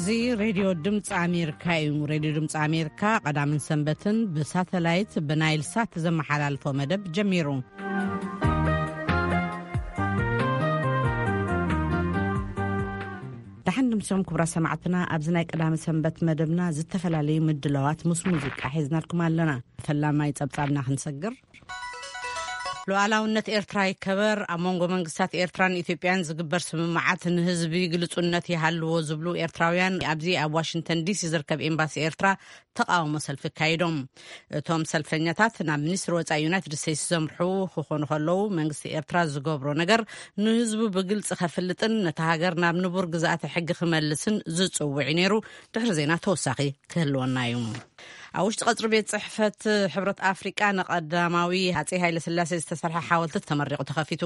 እዚ ሬድዮ ድምፂ ኣሜሪካ እዩ። ሬድዮ ድምፂ ኣሜሪካ ቀዳምን ሰንበትን ብሳተላይት ብናይል ሳት ዘመሓላልፎ መደብ ጀሚሩ። ደሓን ድምሶም ክቡራ ሰማዕትና፣ ኣብዚ ናይ ቀዳሚ ሰንበት መደብና ዝተፈላለዩ ምድላዋት ምስ ሙዚቃ ሒዝናልኩም ኣለና። ፈላማይ ጸብጻብና ክንሰግር። ሉዓላውነት ኤርትራ ይከበር፣ ኣብ መንጎ መንግስታት ኤርትራን ኢትዮጵያን ዝግበር ስምምዓት ንህዝቢ ግልጹነት ይሃልዎ ዝብሉ ኤርትራውያን ኣብዚ ኣብ ዋሽንግተን ዲሲ ዝርከብ ኤምባሲ ኤርትራ ተቃውሞ ሰልፊ ኣካይዶም። እቶም ሰልፈኛታት ናብ ሚኒስትሪ ወጻኢ ዩናይትድ ስቴትስ ዘምርሑ ክኾኑ ከለዉ፣ መንግስቲ ኤርትራ ዝገብሮ ነገር ንህዝቡ ብግልጺ ከፍልጥን ነታ ሃገር ናብ ንቡር ግዝኣተ ሕጊ ክመልስን ዝጽውዕ እዩ ነይሩ። ድሕሪ ዜና ተወሳኺ ክህልወና እዩ። ኣብ ውሽጢ ቀጽሪ ቤት ጽሕፈት ሕብረት ኣፍሪቃ ንቀዳማዊ ሃጼ ሃይለ ስላሴ ዝተሰርሐ ሓወልቲ ተመሪቑ ተኸፊቱ።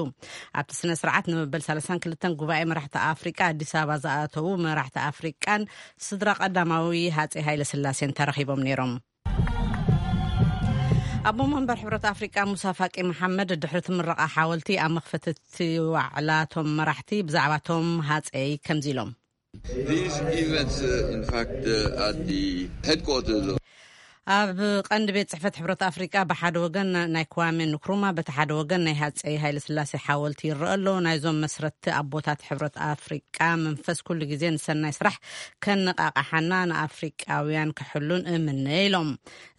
ኣብቲ ስነ ስርዓት ንመበል ሰላሳን ክልተን ጉባኤ መራሕቲ ኣፍሪቃ ኣዲስ ኣበባ ዝኣተዉ መራሕቲ ኣፍሪቃን ስድራ ቀዳማዊ ሃጼ ሃይለ ስላሴን ተረኺቦም ነይሮም። ኣቦ መንበር ሕብረት ኣፍሪቃ ሙሳ ፋቂ መሓመድ ድሕሪ እቲ ምረቓ ሓወልቲ ኣብ መኽፈቲ እቲ ዋዕላ እቶም መራሕቲ ብዛዕባ እቶም ሃጸይ ከምዚ ኢሎም። These events, uh, in fact, uh, at the headquarters of ኣብ ቀንዲ ቤት ጽሕፈት ሕብረት ኣፍሪቃ ብሓደ ወገን ናይ ክዋሜ ንክሩማ፣ በቲ ሓደ ወገን ናይ ሃጸይ ሃይለ ስላሴ ሓወልቲ ይረአ ኣሎ። ናይዞም መስረትቲ ኣቦታት ሕብረት ኣፍሪቃ መንፈስ ኩሉ ግዜ ንሰናይ ስራሕ ከነቃቃሓና ንኣፍሪቃውያን ክሕሉን እምነ ኢሎም።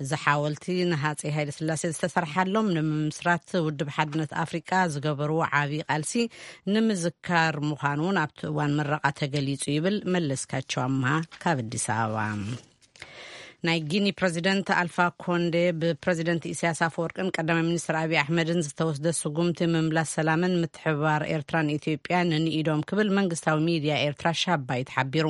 እዚ ሓወልቲ ንሃጸይ ሃይለ ስላሴ ዝተሰርሓሎም ንምምስራት ውድብ ሓድነት ኣፍሪቃ ዝገበርዎ ዓብዪ ቃልሲ ንምዝካር ምዃኑ እውን ኣብቲ እዋን ምረቓ ተገሊጹ ይብል መለስካቸው ኣምሃ ካብ ኣዲስ ኣበባ። ናይ ጊኒ ፕረዚደንት ኣልፋ ኮንዴ ብፕረዚደንት ኢሳያስ ኣፈወርቅን ቀዳማይ ሚኒስትር ኣብይ ኣሕመድን ዝተወስደ ስጉምቲ ምምላስ ሰላምን ምትሕብባር ኤርትራን ኢትዮጵያን ንኢዶም ክብል መንግስታዊ ሚድያ ኤርትራ ሻባይት ሓቢሩ።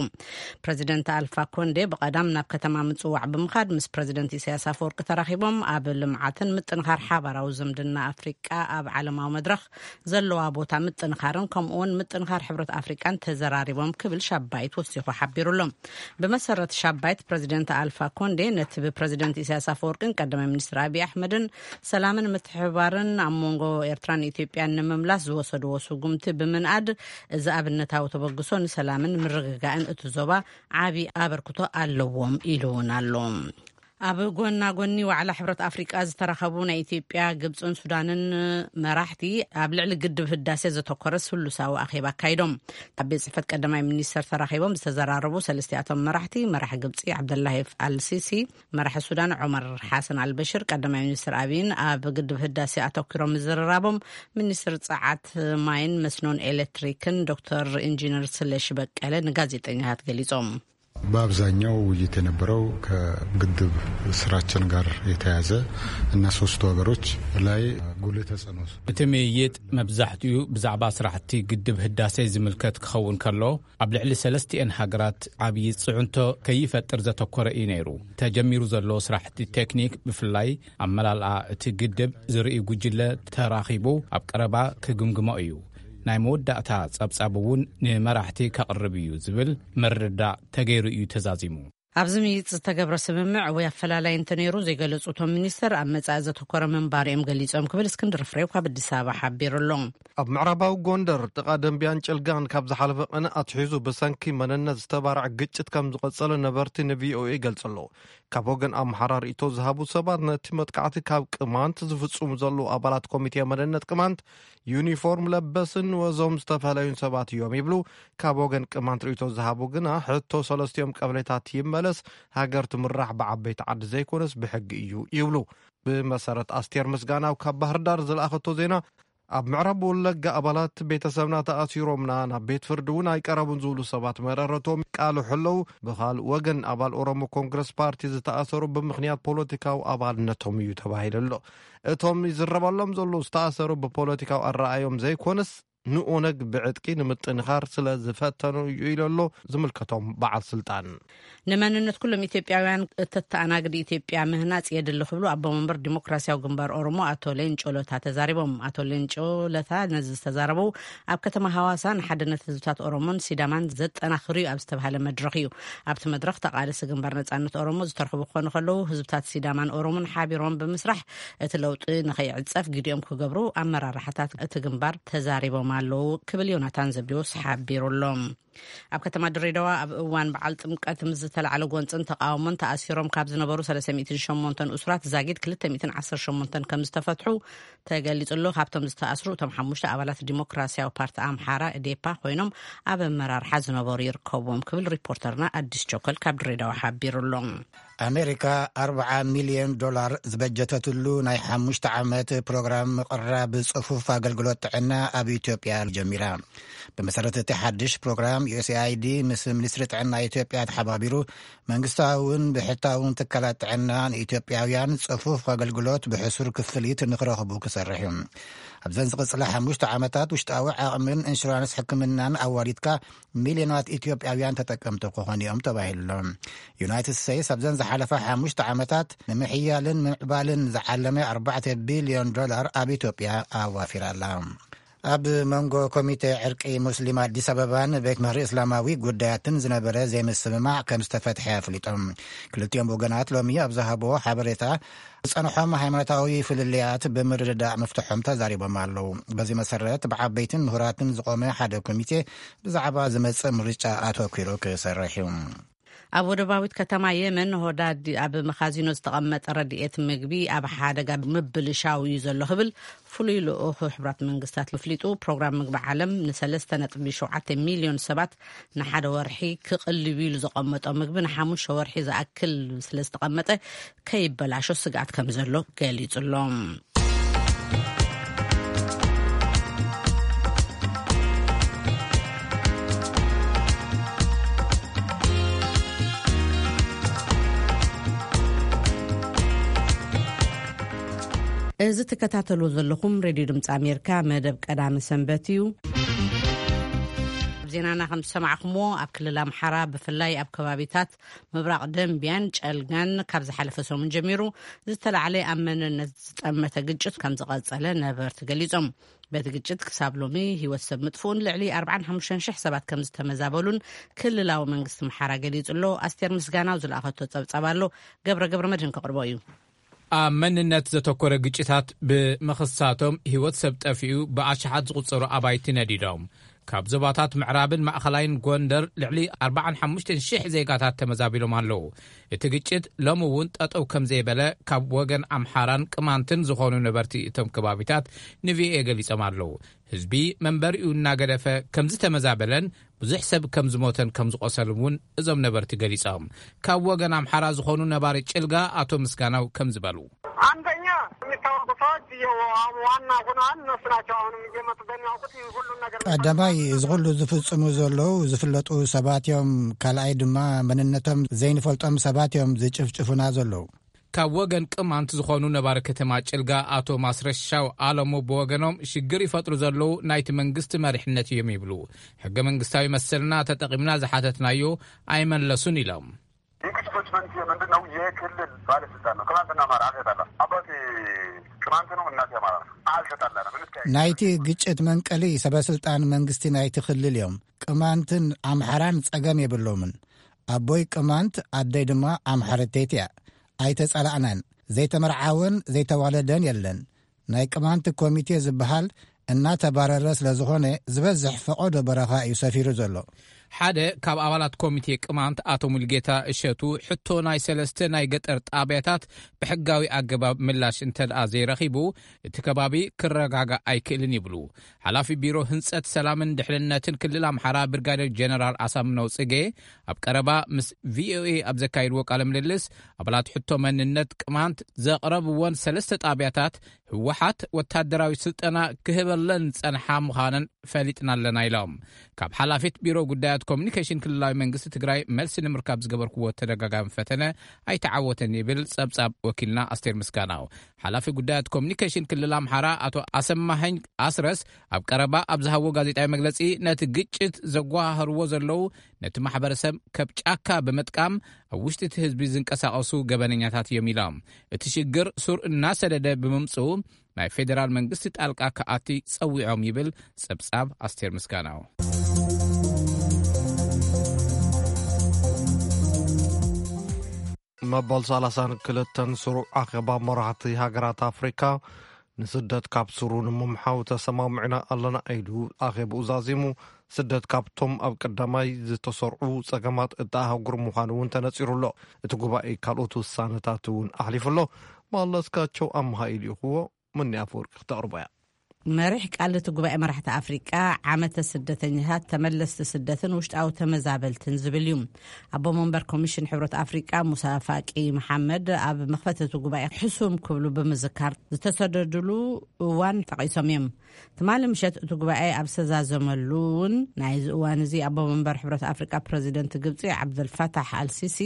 ፕረዚደንት ኣልፋ ኮንዴ ብቐዳም ናብ ከተማ ምጽዋዕ ብምኻድ ምስ ፕረዚደንት ኢሳያስ ኣፈወርቂ ተራኺቦም ኣብ ልምዓትን ምጥንኻር ሓባራዊ ዝምድና ኣፍሪቃ ኣብ ዓለማዊ መድረኽ ዘለዋ ቦታ ምጥንኻርን ከምኡውን ምጥንኻር ሕብረት ኣፍሪቃን ተዘራሪቦም ክብል ሻባይት ወሲኹ ሓቢሩሎም። ብመሰረት ሻባይት ፕረዚደንት ኣልፋ ኮንዴ ነቲ ብፕረዚደንት ኢሳያስ ኣፈወርቅን ቀዳማይ ሚኒስትር ኣብይ ኣሕመድን ሰላምን ምትሕብባርን ኣብ መንጎ ኤርትራን ኢትዮጵያን ንምምላስ ዝወሰድዎ ስጉምቲ ብምንኣድ እዚ ኣብነታዊ ተበግሶ ንሰላምን ምርግጋእን እቲ ዞባ ዓቢ ኣበርክቶ ኣለዎም ኢሉ እውን ኣሎ። ኣብ ጎና ጎኒ ዋዕላ ሕብረት ኣፍሪቃ ዝተረኸቡ ናይ ኢትዮጵያ፣ ግብፅን ሱዳንን መራሕቲ ኣብ ልዕሊ ግድብ ህዳሴ ዘተኮረ ስሉሳዊ ኣኼባ ኣካይዶም። ኣብ ቤት ጽሕፈት ቀዳማይ ሚኒስተር ተራኺቦም ዝተዘራረቡ ሰለስቲኣቶም መራሕቲ፣ መራሒ ግብፂ ዓብደላሂ ኣልሲሲ፣ መራሒ ሱዳን ዑመር ሓሰን ኣልበሽር፣ ቀዳማይ ሚኒስትር ኣብይን ኣብ ግድብ ህዳሴ ኣተኪሮም ምዝርራቦም ሚኒስትር ጸዓት፣ ማይን መስኖን ኤሌክትሪክን ዶክተር ኢንጂነር ስለሺ በቀለ ንጋዜጠኛታት ገሊጾም። በአብዛኛው ውይይት የነበረው ከግድብ ስራችን ጋር የተያያዘ እና ሶስቱ ሀገሮች ላይ ጉልህ ተጽዕኖ እቲ ምይይጥ መብዛሕትኡ ብዛዕባ ስራሕቲ ግድብ ህዳሴ ዝምልከት ክኸውን ከሎ፣ ኣብ ልዕሊ ሰለስቲኤን ሃገራት ዓብዪ ጽዕንቶ ከይፈጥር ዘተኮረ እዩ ነይሩ። ተጀሚሩ ዘሎ ስራሕቲ ቴክኒክ፣ ብፍላይ ኣመላልኣ እቲ ግድብ ዝርኢ ጉጅለ ተራኺቡ ኣብ ቀረባ ክግምግሞ እዩ። ናይ መወዳእታ ጸብጻብ እውን ንመራሕቲ ከቕርብ እዩ ዝብል ምርድዳእ ተገይሩ እዩ ተዛዚሙ። ኣብዚ ምይይጥ ዝተገብረ ስምምዕ ወይ ኣፈላላይ እንተነይሩ ዘይገለጹ እቶም ሚኒስተር፣ ኣብ መጻኢ ዘተኮረ ምንባሩ እዮም ገሊጾም ክብል እስክንድር ፍሬው ካብ ኣዲስ ኣበባ ሓቢሩ ኣሎ። ኣብ ምዕራባዊ ጎንደር ጥቓ ደንቢያን ጭልጋን ካብ ዝሓለፈ ቅነ ኣትሒዙ ብሰንኪ መንነት ዝተባርዐ ግጭት ከም ዝቐጸለ ነበርቲ ንቪኦኤ ይገልጹ ኣለዉ። ካብ ወገን ኣምሓራ ርእይቶ ዝሃቡ ሰባት፣ ነቲ መጥቃዕቲ ካብ ቅማንት ዝፍጽሙ ዘለዉ ኣባላት ኮሚቴ መንነት ቅማንት፣ ዩኒፎርም ለበስን ወዞም ዝተፈለዩን ሰባት እዮም ይብሉ። ካብ ወገን ቅማንት ርእይቶ ዝሃቡ ግና፣ ሕቶ ሰለስቲኦም ቀበሌታት ይመለስ፣ ሃገር ትምራሕ ብዓበይቲ ዓዲ ዘይኮነስ ብሕጊ እዩ ይብሉ። ብመሰረት ኣስቴር ምስጋናው ካብ ባህር ዳር ዝለኣኸቶ ዜና፣ ኣብ ምዕራብ ወለጋ ኣባላት ቤተሰብና ተኣሲሮምና፣ ናብ ቤት ፍርዲ እውን ኣይቀረቡን ዝብሉ ሰባት መረረቶም ይቃልሑ ኣለዉ። ብኻልእ ወገን፣ ኣባል ኦሮሞ ኮንግረስ ፓርቲ ዝተኣሰሩ ብምኽንያት ፖለቲካዊ ኣባልነቶም እዩ ተባሂሉ ኣሎ። እቶም ይዝረበሎም ዘለዉ ዝተኣሰሩ ብፖለቲካዊ ኣረኣዮም ዘይኮነስ፣ ንኦነግ ብዕጥቂ ንምጥንኻር ስለ ዝፈተኑ እዩ ኢሉ ኣሎ ዝምልከቶም በዓል ስልጣን። ንመንነት ኩሎም ኢትዮጵያውያን እተተኣናግድ ኢትዮጵያ ምህናጽ የድሊ ክብሉ ኣቦ መንበር ዲሞክራሲያዊ ግንባር ኦሮሞ ኣቶ ሌንጮ ለታ ተዛሪቦም። ኣቶ ሌንጮ ለታ ነዚ ዝተዛረቡ ኣብ ከተማ ሃዋሳ ንሓድነት ህዝብታት ኦሮሞን ሲዳማን ዘጠናኽር እዩ ኣብ ዝተባሃለ መድረኽ እዩ። ኣብቲ መድረኽ ተቓለሲ ግንባር ነጻነት ኦሮሞ ዝተረኽቡ ክኾኑ ከለዉ፣ ህዝብታት ሲዳማን ኦሮሞን ሓቢሮም ብምስራሕ እቲ ለውጢ ንኸይዕጸፍ ግዲኦም ክገብሩ ኣመራርሓታት እቲ ግንባር ተዛሪቦም ኣለዉ ክብል ዮናታን ዘብዴዎስ ሓቢሩ ኣሎ። ኣብ ከተማ ድሬዳዋ ኣብ እዋን በዓል ጥምቀት ምስ ዝተላዕለ ጎንፅን ተቃውሞን ተኣሲሮም ካብ ዝነበሩ ሰለስተ ሚእትን ሸሞንተን እሱራት ዛጊድ ክልተ ሚእትን ዓሰርተ ሸሞንተን ከም ዝተፈትሑ ተገሊጹ ኣሎ። ካብቶም ዝተኣስሩ እቶም ሓሙሽተ ኣባላት ዲሞክራሲያዊ ፓርቲ ኣምሓራ፣ እዴፓ፣ ኮይኖም ኣብ ኣመራርሓ ዝነበሩ ይርከብዎም ክብል ሪፖርተርና ኣዲስ ቸኮል ካብ ድሬዳዋ ሓቢሩ ኣሎ። ኣሜሪካ ኣርብዓ ሚልዮን ዶላር ዝበጀተትሉ ናይ ሓሙሽተ ዓመት ፕሮግራም ምቕራብ ጽፉፍ ኣገልግሎት ጥዕና ኣብ ኢትዮጵያ ጀሚራ። ብመሰረት እቲ ሓድሽ ፕሮግራም፣ ዩ ኤስ ኤ ኣይ ዲ ምስ ሚኒስትሪ ጥዕና ኢትዮጵያ ተሓባቢሩ መንግስታውን ብሕታውን ትካላት ጥዕና ንኢትዮጵያውያን ጽፉፍ ኣገልግሎት ብሕሱር ክፍሊት ንክረኽቡ ክሰርሕ እዩ። ኣብዘን ዝቕጽላ ሓሙሽተ ዓመታት ውሽጣዊ ዓቕምን ኢንሹራንስ ሕክምናን ኣዋዲድካ ሚልዮናት ኢትዮጵያውያን ተጠቀምቲ ክኾኑ እዮም ተባሂሉ ኣሎ። ዩናይትድ ስቴትስ ኣብዘን ዝሓለፋ ሓሙሽተ ዓመታት ንምሕያልን ምምዕባልን ዝዓለመ ኣርባዕተ ቢልዮን ዶላር ኣብ ኢትዮጵያ ኣዋፊራ ኣላ። ኣብ መንጎ ኮሚቴ ዕርቂ ሙስሊም ኣዲስ ኣበባን ቤት ምኽሪ እስላማዊ ጉዳያትን ዝነበረ ዘይምስምማዕ ከም ዝተፈትሐ ኣፍሊጦም። ክልቲኦም ወገናት ሎሚ ኣብ ዝሃብዎ ሓበሬታ ዝጸንሖም ሃይማኖታዊ ፍልልያት ብምርድዳእ ምፍትሖም ተዛሪቦም ኣለዉ። በዚ መሰረት ብዓበይትን ምሁራትን ዝቖመ ሓደ ኮሚቴ ብዛዕባ ዝመጽእ ምርጫ ኣተኲሩ ክሰርሕ እዩ። ኣብ ወደባዊት ከተማ የመን ሆዳድ ኣብ መኻዚኖ ዝተቐመጠ ረድኤት ምግቢ ኣብ ሓደጋ ምብልሻው እዩ ዘሎ ክብል ፍሉይ ልኡኽ ሕቡራት መንግስታት ኣፍሊጡ። ፕሮግራም ምግቢ ዓለም ንሰለስተ ነጥቢ ሸውዓተ ሚልዮን ሰባት ንሓደ ወርሒ ክቕልብ ኢሉ ዘቐመጦ ምግቢ ንሓሙሽተ ወርሒ ዝኣክል ስለ ዝተቐመጠ ከይበላሾ ስግኣት ከም ዘሎ ገሊጹ ኣሎ። እዚ ትከታተሉ ዘለኹም ሬድዮ ድምፂ ኣሜሪካ መደብ ቀዳሚ ሰንበት እዩ። ኣብ ዜናና ከም ዝሰማዕኩምዎ፣ ኣብ ክልል ኣምሓራ ብፍላይ ኣብ ከባቢታት ምብራቕ ደንቢያን ጨልጋን ካብ ዝሓለፈ ሰሙን ጀሚሩ ዝተላዕለ ኣብ መንነት ዝጠመተ ግጭት ከም ዝቐጸለ ነበርቲ ገሊጾም። በቲ ግጭት ክሳብ ሎሚ ህይወት ሰብ ምጥፍኡን ልዕሊ ኣርባዓን ሓሙሽተን ሽሕ ሰባት ከም ዝተመዛበሉን ክልላዊ መንግስቲ ኣምሓራ ገሊጹ ኣሎ። ኣስቴር ምስጋናው ዝለኣኸቶ ጸብጻብ ኣሎ። ገብረ ገብረ መድህን ከቕርቦ እዩ። ኣብ መንነት ዘተኮረ ግጭታት ብምኽሳቶም ህይወት ሰብ ጠፊኡ፣ ብኣሽሓት ዝቑጸሩ ኣባይቲ ነዲዶም። ካብ ዞባታት ምዕራብን ማእኸላይን ጎንደር ልዕሊ ኣርባዓን ሓሙሽተን ሽሕ ዜጋታት ተመዛቢሎም ኣለዉ። እቲ ግጭት ሎሚ እውን ጠጠው ከም ዘይበለ ካብ ወገን ኣምሓራን ቅማንትን ዝኾኑ ነበርቲ እቶም ከባቢታት ንቪኦኤ ገሊጾም ኣለዉ። ህዝቢ መንበሪኡ እናገደፈ ከም ዝተመዛበለን ብዙሕ ሰብ ከም ዝሞተን ከም ዝቖሰልን እውን እዞም ነበርቲ ገሊጾም። ካብ ወገን ኣምሓራ ዝኾኑ ነባሪ ጭልጋ ኣቶ ምስጋናው ከም ዝበሉ። አንደኛ የሚታወቁ ሰዎች ዋና ሆነዋል። እነሱ ናቸው አሁንም እየመጡ በሚያውቁት ይህ ሁሉን ነገር ቀዳማይ፣ እዚ ኩሉ ዝፍጽሙ ዘለዉ ዝፍለጡ ሰባት እዮም። ካልኣይ ድማ መንነቶም ዘይንፈልጦም ሰባት እዮም ዝጭፍጭፉና ዘለዉ። ካብ ወገን ቅማንት ዝኾኑ ነባሪ ከተማ ጭልጋ ኣቶ ማስረሻው ኣለሙ ብወገኖም፣ ሽግር ይፈጥሩ ዘለዉ ናይቲ መንግስቲ መሪሕነት እዮም ይብሉ። ሕገ መንግስታዊ መሰልና ተጠቒምና ዝሓተትናዮ ኣይመለሱን ኢሎም። ኢንክስኮችመንት ምንድን ነው? የክልል ባለስልጣን ነው። ቅማንትና አማራ አልተጣላም። አባቴ ቅማንት ነው፣ እናቴ አማራ ነው። አልተጣላንም። እንተያይ ናይቲ ግጭት መንቀሊ ሰበስልጣን መንግስቲ ናይቲ ክልል እዮም። ቅማንትን ኣምሓራን ጸገም የብሎምን። ኣቦይ ቅማንት፣ ኣደይ ድማ ኣምሓረተይቲ እያ። ኣይተጸላእናን። ዘይተመርዓወን ዘይተዋለደን የለን። ናይ ቅማንት ኮሚቴ ዝበሃል እናተባረረ ስለ ዝኾነ፣ ዝበዝሕ ፈቐዶ በረኻ እዩ ሰፊሩ ዘሎ። ሓደ ካብ ኣባላት ኮሚቴ ቅማንት ኣቶ ሙልጌታ እሸቱ፣ ሕቶ ናይ ሰለስተ ናይ ገጠር ጣብያታት ብሕጋዊ ኣገባብ ምላሽ እንተ ደኣ ዘይረኺቡ፣ እቲ ከባቢ ክረጋጋእ ኣይክእልን ይብሉ። ሓላፊ ቢሮ ህንጸት ሰላምን ድሕንነትን ክልል ኣምሓራ ብርጋዴር ጀነራል ኣሳምነው ጽጌ ኣብ ቀረባ ምስ ቪኦኤ ኣብ ዘካየድዎ ቃለ ምልልስ፣ ኣባላት ሕቶ መንነት ቅማንት ዘቕረብወን ሰለስተ ጣብያታት ህወሓት ወታደራዊ ስልጠና ክህበለን ዝጸንሓ ምዃነን ፈሊጥና ኣለና ኢሎም። ካብ ሓላፊት ቢሮ ጉዳያት ኮሚኒኬሽን ክልላዊ መንግስቲ ትግራይ መልሲ ንምርካብ ዝገበርክዎ ተደጋጋሚ ፈተነ ኣይተዓወተን ይብል ጸብጻብ ወኪልና ኣስቴር ምስጋናው። ሓላፊ ጉዳያት ኮሚኒኬሽን ክልል ኣምሓራ ኣቶ ኣሰማሀኝ ኣስረስ ኣብ ቀረባ ኣብ ዝሃብዎ ጋዜጣዊ መግለጺ፣ ነቲ ግጭት ዘጓሃህርዎ ዘለዉ ነቲ ማሕበረሰብ ከብ ጫካ ብምጥቃም ኣብ ውሽጢ እቲ ህዝቢ ዝንቀሳቐሱ ገበነኛታት እዮም ኢሎም። እቲ ሽግር ሱር እናሰደደ ብምምጽኡ ናይ ፌደራል መንግስቲ ጣልቃ ክኣቲ ጸዊዖም ይብል ጸብጻብ ኣስቴር ምስጋናው። መበል ሰላሳን ክልተን ስሩዕ ኣኼባ መራሕቲ ሃገራት ኣፍሪካ ንስደት ካብ ስሩ ንምምሓው ተሰማሚዕና ኣለና ኢሉ ኣኼብኡ ዛዚሙ። ስደት ካብቶም ኣብ ቀዳማይ ዝተሰርዑ ጸገማት እታ ኣህጉር ምዃኑ እውን ተነጺሩ ኣሎ። እቲ ጉባኤ ካልኦት ውሳነታት እውን ኣሕሊፉ ኣሎ። መለስካቸው ኣምሃ ኢልይኽዎ፣ ምኒ ኣፈወርቂ ክተቕርቦ እያ። መሪሕ ቃል እቲ ጉባኤ መራሕቲ ኣፍሪቃ ዓመተ ስደተኛታት፣ ተመለስቲ ስደትን ውሽጣዊ ተመዛበልትን ዝብል እዩ። ኣቦ መንበር ኮሚሽን ሕብረት ኣፍሪቃ ሙሳ ፋቂ መሓመድ ኣብ መኽፈቲ እቲ ጉባኤ ሕሱም ክብሉ ብምዝካር፣ ዝተሰደድሉ እዋን ጠቒሶም እዮም። ትማሊ ምሸት እቲ ጉባኤ ኣብ ዝተዛዘመሉ እውን ናይዚ እዋን እዚ ኣቦ መንበር ሕብረት ኣፍሪቃ ፕረዚደንት ግብፂ ዓብደልፋታሕ ኣልሲሲ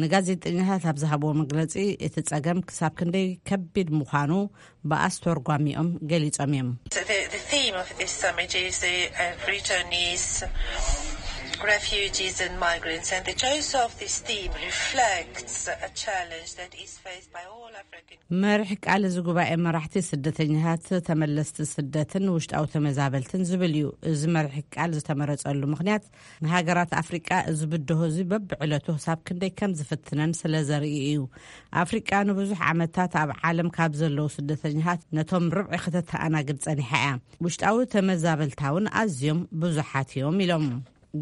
ንጋዜጠኛታት ኣብ ዝሃብዎ መግለፂ፣ እቲ ጸገም ክሳብ ክንደይ ከቢድ ምዃኑ ብኣስተርጓሚኦም ገሊጾም እዮም። The, the theme of this summit is the uh, returnees, refugees and migrants, and the choice of this theme reflects a challenge that is faced by all African. መሪሕ ቃል እዚ ጉባኤ መራሕቲ ስደተኛታት፣ ተመለስቲ ስደትን ውሽጣዊ ተመዛበልትን ዝብል እዩ። እዚ መሪሕ ቃል ዝተመረጸሉ ምኽንያት፣ ንሃገራት ኣፍሪቃ እዚ ብድሆ እዚ በብዕለቱ ክሳብ ክንደይ ከም ዝፍትነን ስለ ዘርኢ እዩ። ኣፍሪቃ ንብዙሕ ዓመታት ኣብ ዓለም ካብ ዘለዉ ስደተኛታት ነቶም ርብዒ ከተተኣናግድ ጸኒሓ እያ። ውሽጣዊ ተመዛበልታ እውን ኣዝዮም ብዙሓት እዮም ኢሎም።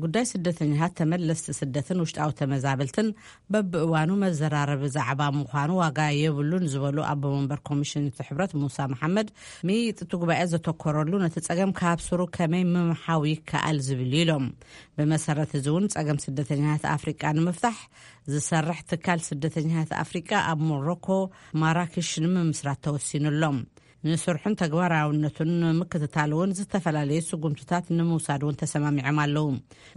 ጉዳይ ስደተኛታት፣ ተመለስቲ ስደትን ውሽጣዊ ተመዛበልትን በብእዋኑ መዘራረቢ ዛዕባ ምዃኑ ዋጋ የብሉን ዝበሉ ኣቦ መንበር ኮሚሽን እቲ ሕብረት ሙሳ መሓመድ፣ ምይይጥ እቲ ጉባኤ ዘተኮረሉ ነቲ ጸገም ካብ ስሩ ከመይ ምምሓው ይከኣል ዝብል እዩ ኢሎም። ብመሰረት እዚ እውን ጸገም ስደተኛታት ኣፍሪቃ ንምፍታሕ ዝሰርሕ ትካል ስደተኛታት ኣፍሪቃ ኣብ ሞሮኮ ማራክሽ ንምምስራት ተወሲኑ ኣሎ። ንስርሑን ተግባራውነቱን ንምክትታል እውን ዝተፈላለዩ ስጉምትታት ንምውሳድ እውን ተሰማሚዖም ኣለዉ።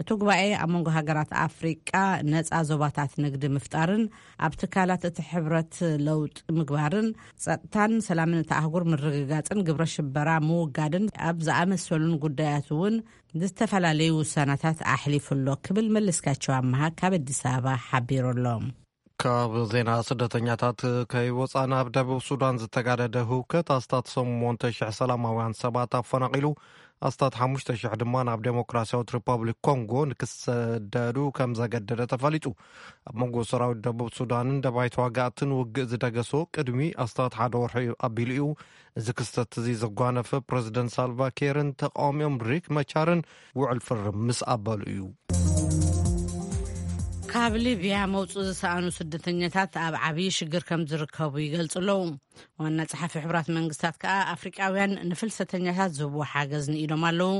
እቲ ጉባኤ ኣብ መንጎ ሃገራት ኣፍሪቃ ነጻ ዞባታት ንግዲ ምፍጣርን ኣብ ትካላት እቲ ሕብረት ለውጢ ምግባርን፣ ጸጥታን ሰላምን እቲ ኣህጉር ምርግጋጽን ግብረ ሽበራ ምውጋድን ኣብ ዝኣመሰሉን ጉዳያት እውን ዝተፈላለዩ ውሳናታት ኣሕሊፉ ኣሎ ክብል መለስካቸው ኣመሃ ካብ ኣዲስ ኣበባ ሓቢሩ ኣሎ። ካብ ዜና ስደተኛታት ከይወጻና፣ ኣብ ደቡብ ሱዳን ዝተጋደደ ህውከት ኣስታት ሸሞንተ ሽሕ ሰላማውያን ሰባት ኣፈናቒሉ፣ ኣስታት ሓሙሽተ ሽሕ ድማ ናብ ዴሞክራሲያዊት ሪፓብሊክ ኮንጎ ንክሰደዱ ከም ዘገደደ ተፈሊጡ። ኣብ መንጎ ሰራዊት ደቡብ ሱዳንን ደባይ ተዋጋእትን ውግእ ዝደገሶ ቅድሚ ኣስታት ሓደ ወርሒ ኣቢሉ እዩ። እዚ ክስተት እዚ ዘጓነፈ፣ ፕረዚደንት ሳልቫ ኬርን ተቃዋሚኦም ሪክ መቻርን ውዕል ፍርም ምስ ኣበሉ እዩ። ካብ ሊብያ መውጽኡ ዝሰኣኑ ስደተኛታት ኣብ ዓብዪ ሽግር ከም ዝርከቡ ይገልጹ ኣለዉ። ዋና ጸሓፊ ሕቡራት መንግስታት ከኣ ኣፍሪቃውያን ንፍልሰተኛታት ዝህብዎ ሓገዝ ንኢዶም ኣለዉ።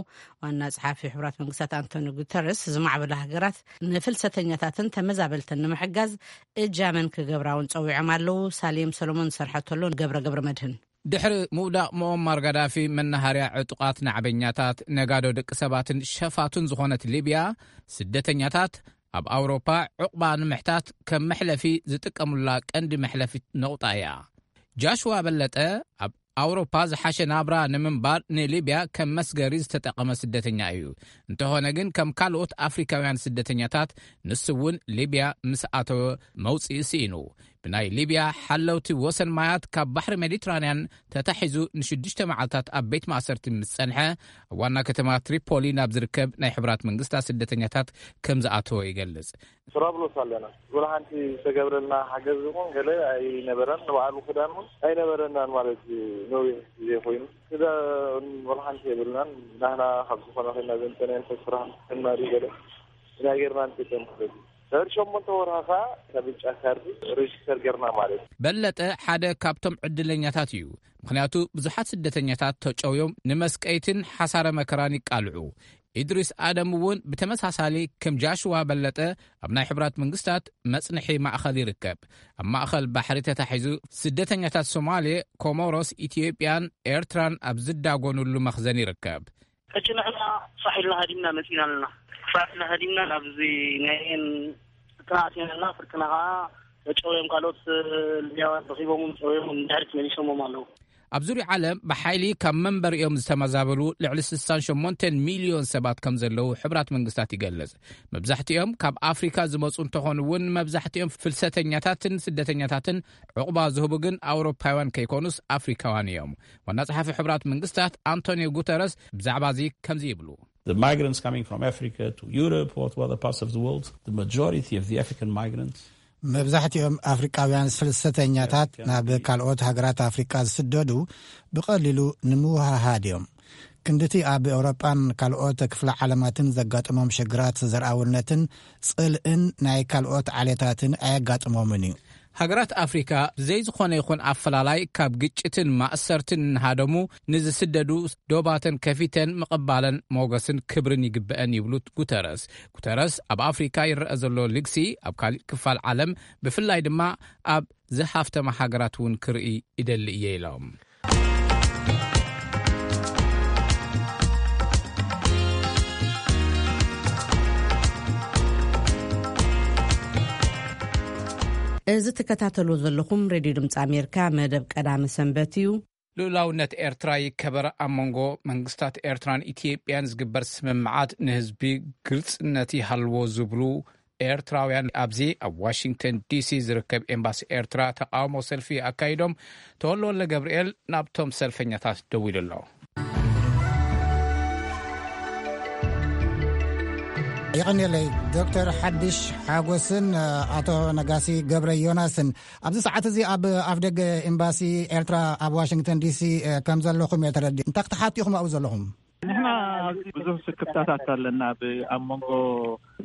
ዋና ጸሓፊ ሕቡራት መንግስታት ኣንቶኒ ጉተረስ፣ ዝማዕበላ ሃገራት ንፍልሰተኛታትን ተመዛበልትን ንምሕጋዝ እጃመን ክገብራ እውን ጸዊዖም ኣለዉ። ሳሌም ሰሎሞን ዝሰርሐቶ ኣሎ። ገብረ ገብረ መድህን። ድሕሪ ምውዳቕ ሙኦማር ጋዳፊ፣ መናሃርያ ዕጡቓት ናዕበኛታት፣ ነጋዶ ደቂ ሰባትን ሸፋቱን ዝኾነት ሊብያ፣ ስደተኛታት ኣብ ኣውሮፓ ዕቑባ ንምሕታት ከም መሕለፊ ዝጥቀሙላ ቀንዲ መሕለፊ ነቑጣ እያ። ጃሽዋ በለጠ ኣብ ኣውሮፓ ዝሓሸ ናብራ ንምንባር ንሊብያ ከም መስገሪ ዝተጠቐመ ስደተኛ እዩ። እንተኾነ ግን፣ ከም ካልኦት ኣፍሪካውያን ስደተኛታት፣ ንሱ እውን ሊብያ ምስ ኣተወ መውጽኢ ስኢኑ። ብናይ ሊብያ ሓለውቲ ወሰን ማያት ካብ ባሕሪ ሜዲትራንያን ተታሒዙ ንሽዱሽተ መዓልታት ኣብ ቤት ማእሰርቲ ምስ ጸንሐ፣ ኣብ ዋና ከተማ ትሪፖሊ ናብ ዝርከብ ናይ ሕቡራት መንግስታት ስደተኛታት ከም ዝኣተወ ይገልጽ። ጥራብሎስ ኣለና። ወላ ሓንቲ ዝተገብረልና ሓገዝ እውን ገለ ኣይነበረን። ንባዕሉ ክዳን እውን ኣይነበረናን ማለት እዩ። ነዊሕ ግዜ ኮይኑ ክዳን ወላ ሓንቲ የብልናን። ናህና ካብ ዝኾነ ኮይና ዘምፀናዮ ሰብ ስራሕ ክንማሪ ገለ ኢና ጌርና ንጥቀም ማለት እዩ። ድሕሪ ሸሞንተ ወርሃ ከዓ ካብ ብጫ ካርዲ ሬጅስተር ጌርና ማለት እዩ። በለጠ ሓደ ካብቶም ዕድለኛታት እዩ። ምኽንያቱ ብዙሓት ስደተኛታት ተጨውዮም ንመስቀይትን ሓሳረ መከራን ይቃልዑ። ኢድሪስ ኣደም እውን ብተመሳሳሊ ከም ጃሽዋ በለጠ ኣብ ናይ ሕቡራት መንግስታት መጽንሒ ማእኸል ይርከብ። ኣብ ማእኸል ባሕሪ ተታሒዙ ስደተኛታት ሶማሌ፣ ኮሞሮስ፣ ኢትዮጵያን ኤርትራን ኣብ ዝዳጎኑሉ መኽዘን ይርከብ። ሕጂ ንሕና ፋሕ ኢልና ሃዲምና መጺና ኣለና። ፋሕ ኢልና ሃዲምና ናብዚ ናይ ኤን ፍርቅና ኣቲና ኣለና። ፍርቅና ከዓ ተጨውዮም ካልኦት ሊብያውያን ረኺቦምን ጨውዮምን ድሕሪት መሊሶሞም ኣለዉ። ኣብ ዙርያ ዓለም ብሓይሊ ካብ መንበሪኦም ዝተመዛበሉ ልዕሊ ስሳን ሸሞንተን ሚልዮን ሰባት ከም ዘለዉ ሕቡራት መንግስታት ይገልጽ። መብዛሕትኦም ካብ ኣፍሪካ ዝመጹ እንተኾኑ እውን፣ መብዛሕትኦም ፍልሰተኛታትን ስደተኛታትን ዕቑባ ዝህቡ ግን ኣውሮፓውያን ከይኮኑስ ኣፍሪካውያን እዮም። ዋና ጸሓፊ ሕቡራት መንግስታት ኣንቶኒዮ ጉተረስ ብዛዕባ እዚ ከምዚ ይብሉ። The migrants coming from Africa to Europe or to other parts of the world, the majority of the African migrants መብዛሕትኦም ኣፍሪቃውያን ፍልሰተኛታት ናብ ካልኦት ሃገራት ኣፍሪቃ ዝስደዱ ብቐሊሉ ንምውሃሃድ እዮም። ክንድቲ ኣብ ኤውሮጳን ካልኦት ክፍለ ዓለማትን ዘጋጥሞም ሽግራት ዘርኣውነትን ጽልእን ናይ ካልኦት ዓሌታትን ኣየጋጥሞምን እዩ። ሃገራት ኣፍሪካ ብዘይ ዝኾነ ይኹን ኣፈላላይ ካብ ግጭትን ማእሰርትን እናሃደሙ ንዝስደዱ ዶባተን ከፊተን ምቕባለን ሞገስን ክብርን ይግበአን ይብሉ ጉተረስ። ጉተረስ ኣብ ኣፍሪካ ይረአ ዘሎ ልግሲ ኣብ ካሊእ ክፋል ዓለም ብፍላይ ድማ ኣብ ዝሃፍተማ ሃገራት እውን ክርኢ ይደሊ እየ ኢሎም። እዚ ትከታተሉ ዘለኹም ሬድዮ ድምፂ ኣሜሪካ መደብ ቀዳመ ሰንበት እዩ። ልኡላውነት ኤርትራ ይከበር፣ ኣብ መንጎ መንግስታት ኤርትራን ኢትዮጵያን ዝግበር ስምምዓት ንህዝቢ ግልጽነት ይሃልዎ ዝብሉ ኤርትራውያን ኣብዚ ኣብ ዋሽንግተን ዲሲ ዝርከብ ኤምባሲ ኤርትራ ተቃውሞ ሰልፊ ኣካይዶም። ተወልደ ወልደ ገብርኤል ናብቶም ሰልፈኛታት ደዊሉ ኣሎ። የቐንየለይ ዶክተር ሓድሽ ሓጎስን ኣቶ ነጋሲ ገብረ ዮናስን። ኣብዚ ሰዓት እዚ ኣብ ኣፍደገ ኤምባሲ ኤርትራ ኣብ ዋሽንግተን ዲሲ ከም ዘለኹም እየ ተረዲእ። እንታይ ክትሓቱ ኢኹም ኣብኡ ዘለኹም? ንሕና ኣብዚ ብዙሕ ስክፍታታት ኣለና። ኣብ መንጎ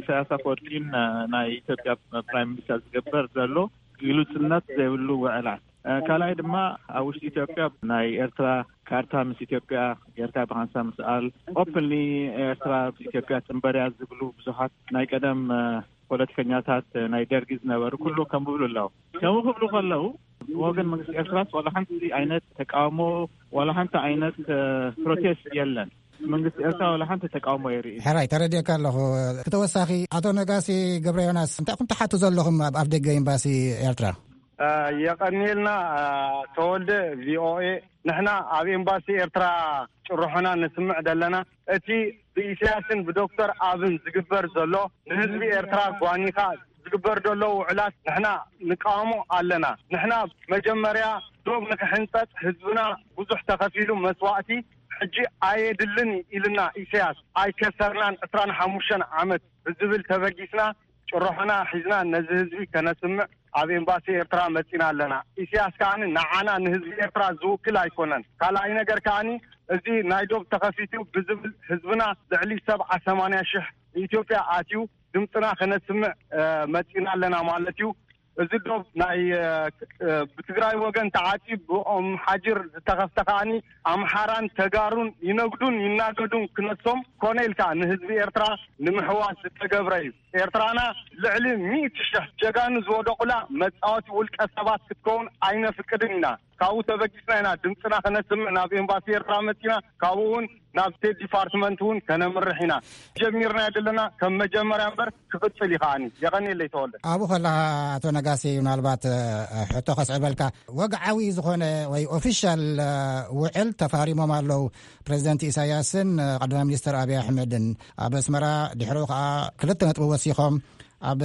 ኢሳያስ ኣፈወርቂን ናይ ኢትዮጵያ ፕራይም ሚኒስተር ዝግበር ዘሎ ግሉጽነት ዘይብሉ ውዕላት፣ ካልኣይ ድማ ኣብ ውሽጢ ኢትዮጵያ ናይ ኤርትራ ካርታ ምስ ኢትዮጵያ ጌርካ ብሃንሳ ምስኣል፣ ኦፕንሊ ኤርትራ ኢትዮጵያ ጽንበርያ ዝብሉ ብዙሓት ናይ ቀደም ፖለቲከኛታት ናይ ደርጊ ዝነበሩ ኩሉ ከም ብብሉ ኣለዉ። ከምኡ ክብሉ ከለዉ ብወገን መንግስቲ ኤርትራስ ዋላ ሓንቲ ዓይነት ተቃውሞ፣ ዋላ ሓንቲ ዓይነት ፕሮቴስት የለን። መንግስቲ ኤርትራ ዋላ ሓንቲ ተቃውሞ የርኢ። ሕራይ ተረዲእካ ኣለኹ። ክተወሳኺ ኣቶ ነጋሲ ገብረ ዮናስ እንታይ ኹም ትሓቱ ዘለኹም ኣብ ኣፍደገ ኤምባሲ ኤርትራ? የቐንየልና ተወልደ። ቪኦኤ፣ ንሕና ኣብ ኤምባሲ ኤርትራ ጭርሖና ነስምዕ ዘለና እቲ ብኢሳያስን ብዶክተር ኣብን ዝግበር ዘሎ ንህዝቢ ኤርትራ ጓኒኻ ዝግበር ዘሎ ውዕላት ንሕና ንቃወሞ ኣለና። ንሕና መጀመርያ ዶብ ንክሕንጸጽ ህዝብና ብዙሕ ተኸፊሉ መስዋእቲ ሕጂ ኣየድልን ኢልና ኢሳያስ ኣይከሰርናን ዕስራን ሓሙሽተን ዓመት ብዝብል ተበጊስና ጭርሖና ሒዝና ነዚ ህዝቢ ከነስምዕ ኣብ ኤምባሲ ኤርትራ መጺና ኣለና። ኢሳያስ ከኣኒ ንዓና ንህዝቢ ኤርትራ ዝውክል ኣይኮነን። ካልኣይ ነገር ከኣኒ እዚ ናይ ዶብ ተኸፊቱ ብዝብል ህዝብና ልዕሊ ሰብዓ ሰማንያ ሽሕ ኢትዮጵያ ኣትዩ ድምፅና ከነስምዕ መፂና ኣለና ማለት እዩ። እዚ ዶብ ናይ ብትግራይ ወገን ተዓፂ ብኦም ሓጅር ዝተኸፍተ ከዓኒ ኣምሓራን ተጋሩን ይነግዱን ይናገዱን ክነሶም ኮነ ኢልካ ንህዝቢ ኤርትራ ንምሕዋስ ዝተገብረ እዩ። ኤርትራና ልዕሊ ሚእቲ ሽሕ ጀጋኑ ዝወደቑላ መፃወቲ ውልቀ ሰባት ክትከውን ኣይነፍቅድን ኢና። ካብኡ ተበጊስና ኢና ድምፅና ከነስምዕ ናብ ኤምባሲ ኤርትራ መፂና፣ ካብኡ እውን ናብ ስቴት ዲፓርትመንት እውን ከነምርሕ ኢና። ጀሚርና ዘለና ከም መጀመርያ እምበር ክቕፅል እዩ ከዓኒ። የቐንየለይ ተወልደ። ኣብኡ ከለኻ ኣቶ ነጋሲ ምናልባት ሕቶ ከስዕበልካ፣ ወግዓዊ ዝኾነ ወይ ኦፊሻል ውዕል ተፋሪሞም ኣለዉ ፕሬዚደንት ኢሳያስን ቀዳማይ ሚኒስትር ኣብይ ኣሕመድን ኣብ ኣስመራ፣ ድሕሪኡ ከዓ ክልተ ነጥቢ ወሲኾም ኣብ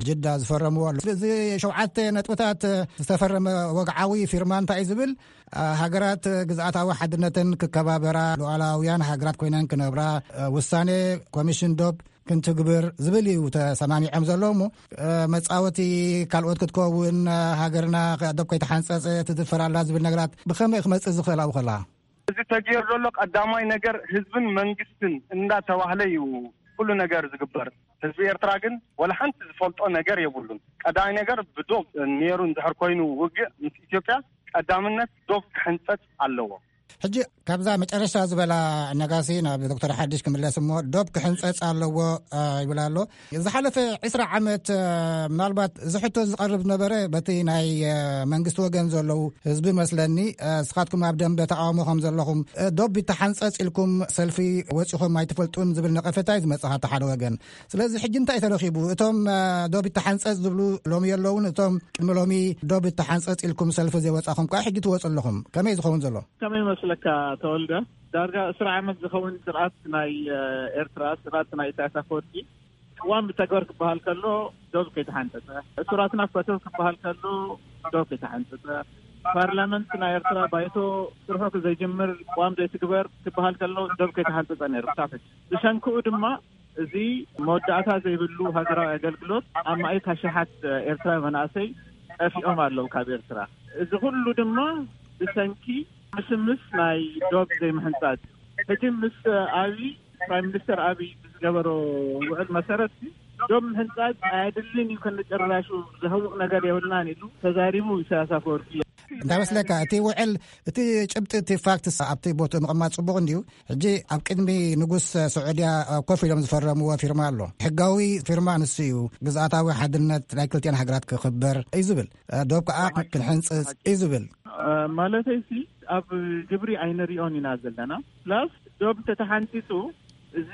ጅዳ ዝፈረምዎ ኣሎ። እዚ ሸውዓተ ነጥብታት ዝተፈረመ ወግዓዊ ፊርማ እንታይ እዩ ዝብል? ሃገራት ግዝኣታዊ ሓድነተን ክከባበራ፣ ሉዓላውያን ሃገራት ኮይነን ክነብራ፣ ውሳኔ ኮሚሽን ዶብ ክንትግብር ዝብል እዩ ተሰማሚዖም ዘለዉ። እሞ መጻወቲ ካልኦት ክትከውን፣ ሃገርና ዶብ ከይተሓንጸጸ ትድፈር ኣላ ዝብል ነገራት ብኸመይ ክመጽእ ዝኽእል ኣብኡ ከላ? እዚ ተገይሩ ዘሎ ቀዳማይ ነገር ህዝብን መንግስትን እንዳተባህለ እዩ ኩሉ ነገር ዝግበር። ህዝቢ ኤርትራ ግን ወላ ሓንቲ ዝፈልጦ ነገር የብሉን። ቀዳማይ ነገር ብዶብ ነይሩ እንድሕር ኮይኑ ውግእ ምስ ኢትዮጵያ ቀዳምነት ዶብ ክሕንጸጽ ኣለዎ። ሕጂ ካብዛ መጨረሻ ዝበላ ነጋሲ ናብ ዶክተር ሓድሽ ክምለስ እሞ ዶብ ክሕንጸጽ ኣለዎ ይብል ኣሎ። ዝሓለፈ ዕስራ ዓመት ምናልባት እዚ ሕቶ ዝቐርብ ዝነበረ በቲ ናይ መንግስቲ ወገን ዘለዉ ህዝቢ መስለኒ፣ እስኻትኩም ኣብ ደንበ ተቃውሞ ከም ዘለኹም፣ ዶብ ይተሓንጸጽ ኢልኩም ሰልፊ ወጺኹም ኣይትፈልጡን ዝብል ነቐፈታ እዩ ዝመጽእ ካብቲ ሓደ ወገን። ስለዚ ሕጂ እንታይ ተረኺቡ? እቶም ዶብ ይተሓንጸጽ ዝብሉ ሎሚ የለውን፣ እቶም ቅድሚ ሎሚ ዶብ ይተሓንጸጽ ኢልኩም ሰልፊ ዘይወጻኹም ከኣ ሕጂ ትወጹ ኣለኹም። ከመይ ዝኸውን ዘሎ? ከመይ ይመስለካ ተወልደ? ዳርጋ ዕስራ ዓመት ዝኸውን ስርዓት ናይ ኤርትራ፣ ስርዓት ናይ ኢሳያስ ኣፈወርቂ ቅዋም ብተግባር ክበሃል ከሎ ዶብ ከይተሓንጸጸ፣ እሱራትና ፈተው ክበሃል ከሎ ዶብ ከይተሓንጸጸ፣ ፓርላመንት ናይ ኤርትራ ባይቶ ስርሑ ዘይጅምር ቅዋም ዘይትግበር ክበሃል ከሎ ዶብ ከይተሓንጸጸ ነይሩ ክሳብ ሕጂ። ብሰንክኡ ድማ እዚ መወዳእታ ዘይብሉ ሃገራዊ ኣገልግሎት ኣማኢት ኣሽሓት ኤርትራዊ መናእሰይ ጠፊኦም ኣለዉ ካብ ኤርትራ። እዚ ኩሉ ድማ ብሰንኪ ምስምስ ናይ ዶብ ዘይምሕንጻጽ። ሕጂ ምስ ኣብይ፣ ፕራይም ሚኒስተር ኣብይ ብዝገበሮ ውዕል መሰረት ዶብ ምሕንጻጽ ኣየድልን እዩ፣ ከነጨራሹ ዘህውቕ ነገር የብልናን ኢሉ ተዛሪቡ ኢሳያስ ኣፈወርቂ። እንታይ መስለካ፣ እቲ ውዕል፣ እቲ ጭብጢ፣ እቲ ፋክትስ ኣብቲ ቦትኡ ምቕማጥ ጽቡቕ እንድዩ። ሕጂ ኣብ ቅድሚ ንጉስ ስዑድያ ኮፍ ኢሎም ዝፈረምዎ ፊርማ ኣሎ። ሕጋዊ ፊርማ ንሱ እዩ። ግዝኣታዊ ሓድነት ናይ ክልቲኣን ሃገራት ክኽበር እዩ ዝብል። ዶብ ከኣ ክንሕንጽጽ እዩ ዝብል። ማለተይሲ፣ ኣብ ግብሪ ኣይንሪኦን ኢና ዘለና። ፕላስ ዶብ ተተሓንጺጹ፣ እዚ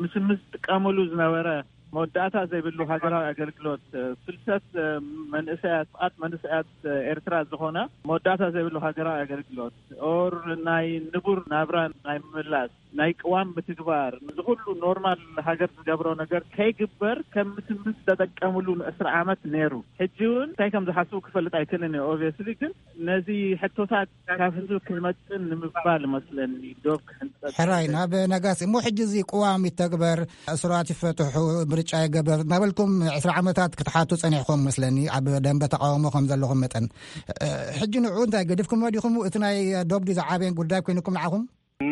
ምስምስ ዝጥቀመሉ ዝነበረ መወዳእታ ዘይብሉ ሃገራዊ ኣገልግሎት፣ ፍልሰት መንእሰያት፣ ፍቓድ መንእሰያት ኤርትራ ዝኾነ መወዳእታ ዘይብሉ ሃገራዊ ኣገልግሎት፣ ኦር ናይ ንቡር ናብራ ናይ ምምላስ፣ ናይ ቅዋም ምትግባር፣ እዚ ኩሉ ኖርማል ሃገር ዝገብሮ ነገር ከይግበር ከም ምስምስ ተጠቀምሉ ንዕስራ ዓመት ነይሩ። ሕጂ እውን እንታይ ከም ዝሓስቡ ክፈልጥ ኣይክእልን እየ። ኦብቪየስሊ ግን ነዚ ሕቶታት ካብ ህዝቢ ክመጽእ ንምባል መስለኒ ዶብ ክሕንጸጽ። ሕራይ ናብ ነጋሲ እሞ፣ ሕጂ እዚ ቅዋም ይተግበር፣ እሱራት ይፈትሑ፣ ምርጫ ይገበር እናበልኩም ዕስራ ዓመታት ክትሓቱ ጸኒሕኩም መስለኒ። ኣብ ደንበ ተቃውሞ ከም ዘለኹም መጠን፣ እ፣ ሕጂ ንዑ እንታይ ገዲፍኩሞ ዲኹም? እቲ ናይ ዶብ ድዩ ዝዓበየን ጉዳይ ኮይንኩም ንዓኹም?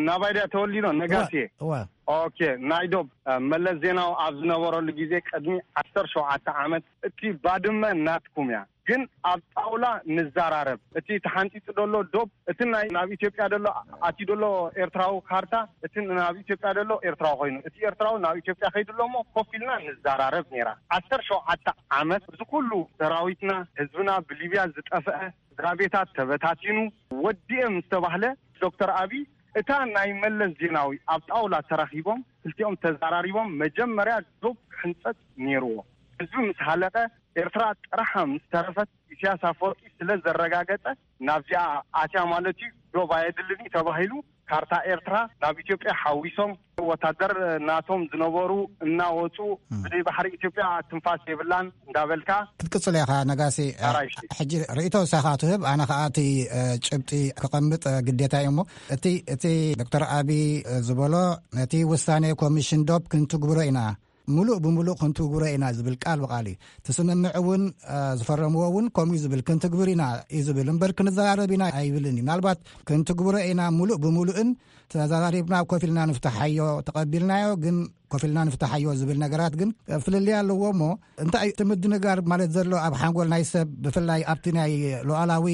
ናባይ ድያ ተወሊዶ ነጋሲ? እዋ፣ እዋ። ኦኬ፣ ናይ ዶብ፣ እ፣ መለስ ዜናዊ ኣብ ዝነበረሉ ግዜ ቅድሚ ዓሰርተ ሸውዓተ ዓመት፣ እቲ ባድመ ናትኩም እያ፣ ግን ኣብ ጣውላ ንዛራረብ። እቲ ተሓንጺጹ ደሎ ዶብ፣ እቲ ናይ ናብ ኢትዮጵያ ደሎ ኣትዩ ደሎ ኤርትራዊ ካርታ፣ እቲ ናብ ኢትዮጵያ ደሎ ኤርትራዊ ኮይኑ፣ እቲ ኤርትራዊ ናብ ኢትዮጵያ ከይዱ ኣሎ እሞ ኮፍ ኢልና ንዛራረብ ነይራ። ዓሰርተ ሸውዓተ ዓመት እዚ ኩሉ ሰራዊትና፣ ህዝብና ብሊብያ ዝጠፍአ፣ ስድራ ቤታት ተበታቲኑ፣ ወዲኤ ምስ ተባህለ፣ ዶክተር ኣቢ እታ ናይ መለስ ዜናዊ ኣብ ጣውላ ተራኺቦም ክልቲኦም ተዛራሪቦም መጀመርያ ዶብ ክሕንጸጽ ነይርዎ። ህዝቢ ምስ ሃለቀ፣ ኤርትራ ጥራሓ ምስ ተረፈት፣ ኢሳያስ ኣፈወርቂ ስለ ዘረጋገጸ፣ ናብዚኣ ኣትያ ማለት እዩ፣ ዶብ ኣየድልን እዩ ተባሂሉ፣ ካርታ ኤርትራ ናብ ኢትዮጵያ ሓዊሶም፣ ወታደር ናቶም ዝነበሩ እናወጹ፣ እም። ብዘይ ባሕሪ ኢትዮጵያ ትንፋስ የብላን እንዳበልካ። ክትቅጽል ኢኻ ነጋሲ። ኣራይሽ። ሕጂ ርእይቶ ንሳኻ ትህብ፣ ኣነ ኸኣ እቲ፣ እ፣ ጭብጢ ክቐምጥ፣ እ፣ ግዴታ እዩ እሞ፣ እቲ፣ እቲ ዶክተር ኣቢ፣ እ፣ ዝበሎ፣ ነቲ ውሳኔ ኮሚሽን ዶብ ክንትግብሮ ኢና፣ ምሉእ ብምሉእ ክንትግብሮ ኢና ዝብል ቃል ብቃል እዩ። እቲ ስምምዕ እውን፣ እ፣ ዝፈረምዎ እውን ከምኡ እዩ ዝብል፣ ክንትግብር ኢና እዩ ዝብል እምበር ክንዘራረብ ኢና ኣይብልን እዩ። ምናልባት ክንትግብሮ ኢና ምሉእ ብምሉእን ተዘራሪብና ኮፍ ኢልና ንፍትሓዮ፣ ተቐቢልናዮ ግን ኮፍ ኢልና ንፍትሓዮ ዝብል ነገራት ግን ፍልልይ ኣለዎ እሞ፣ እንታይ እዩ እቲ ምድንጋር ማለት ዘሎ ኣብ ሓንጎል ናይ ሰብ፣ ብፍላይ ኣብቲ ናይ ሉዓላዊ